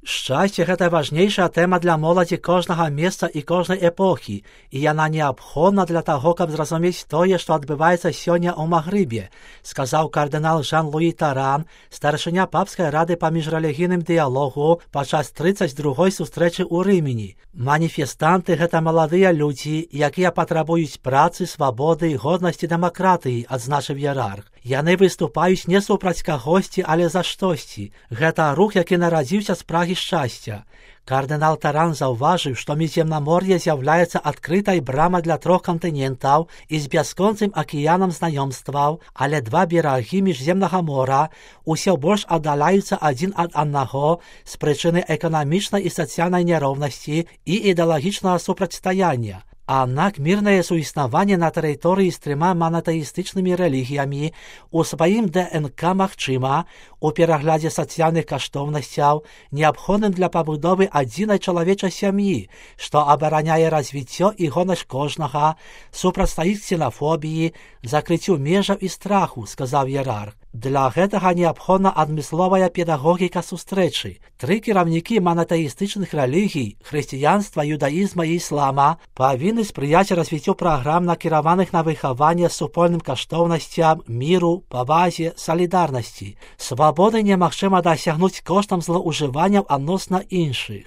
Шчасце гэта важнейшая тэма для моладзі кожнага месца і кожнай эпохі, і яна неабходна для таго, каб зразумець тое, што адбываецца сёння ў Магрыбе, сказаў кардынал Жан-Луі Таран, старшыня папскай рады па міжрэлігійным дыялогу падчас 32-й сустрэчы ў Рымені. Маніфестанты гэта маладыя людзі, якія патрабуюць працы, свабоды, годнасці, дэмакратыі, адзначыў іерарх. Яны выступаюць не супраць кагосьці, але за штосьці. Гэта рух, які нарадзіўся з прагі шчасця. Кардынал Таран заўважыў, што Міжземнамор'е з'яўляецца адкрытай брамай для 3 кантынентаў і з бясконцым акіянам знаёмстваў, але 2 берагі Міжземнага мора ўсё больш аддаляюцца адзін ад аднаго з прычыны эканамічнай і сацыяльнай няроўнасці і ідэалагічнага супрацьстаяння. Аднак мірнае суіснаванне на тэрыторыі з 3 манатэістычнымі рэлігіямі у сваім ДНК магчыма у пераглядзе сацыяльных каштоўнасцяў, неабходным для пабудовы адзінай чалавечай сям'і, што абараняе развіццё і годнасць кожнага, супрацьстаіць ксенафобіі, закрыццю межаў і страху, сказаў іерарх. Для гэтага неабходна адмысловая педагогіка сустрэчы. 3 кіраўнікі манатэістычных рэлігій, хрысціянства, юдаізма і іслама, павінны спрыяць развіццю праграм, накіраваных на выхаванне супольным каштоўнасцям, міру, павазе, салідарнасці. Свабоды немагчыма дасягнуць коштам злоўжыванняў адносна іншых.